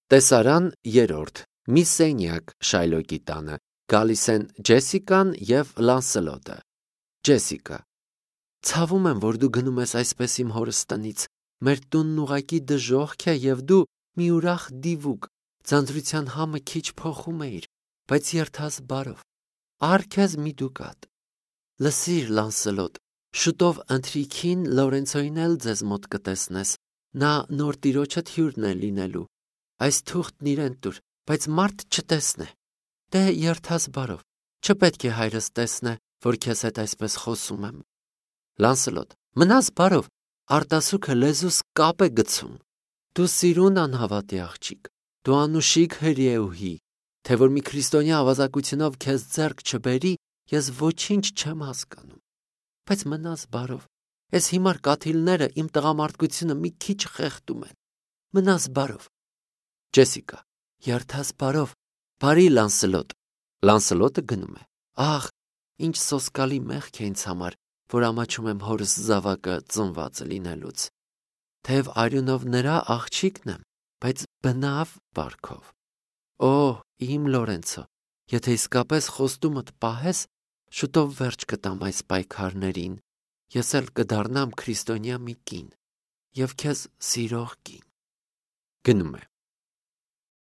Տեսարան երրորդ մի սենյակ Շայլոկի տանը գալիս են Ջեսիկան և Լանսելոտը։ Ջեսիկա. Ցավում եմ, որ դու գնում ես այսպես իմ հորս տնից։ Մեր տունն ուղղակի դժոխք է և դու մի ուրախ դիվուկ, ձանձրության համը քիչ փոխում էիր, բայց երթաս բարով։ Առ քեզ մի դուկատ։ Լսիր, Լանսելոտ, շուտով ընթրիքին Լորենցոին էլ ձեզ մոտ կտեսնես։ Նա նոր տիրոջդ հյուրն է լինելու։ Այս թուղթն իրեն տուր, բայց մարդ չտեսնե։ Դե երթաս բարով։ Չպետք է հայրս տեսնե, որ քեզ հետ այսպես խոսում եմ։ Լանսելոտ. Մնաս բարով, արտասուքը լեզուս կապ է գցում։ Դու սիրուն անհավատի աղջիկ, դու անուշիկ հրեուհի, թե որ մի քրիստոնյա ավազակությունով քեզ ձեռք չբերի, ես ոչինչ չեմ հասկանում։ Բայց մնաս բարով, այս հիմար կաթիլները իմ տղամարդկությունը մի քիչ խեղդում են։ Մնաս բարով։ Ջեսիկա. Երթաս բարով, բարի Լանսելոտ։ Լանսելոտը գնում է։ Ահ, ինչ սոսկալի մեղք է ինձ համար, որ ամաչում եմ հորս զավակը ծնված լինելուց։ Թեև արյունով նրա աղջիկն եմ, բայց բնավ վարքով։ Օ, իմ Լորենցո, եթե իսկապես խոստումդ պահես, շուտով վերջ կտամ այս պայքարներին, ես էլ կդառնամ քրիստոնյա մի կին և քեզ սիրող կին։ Գնում է։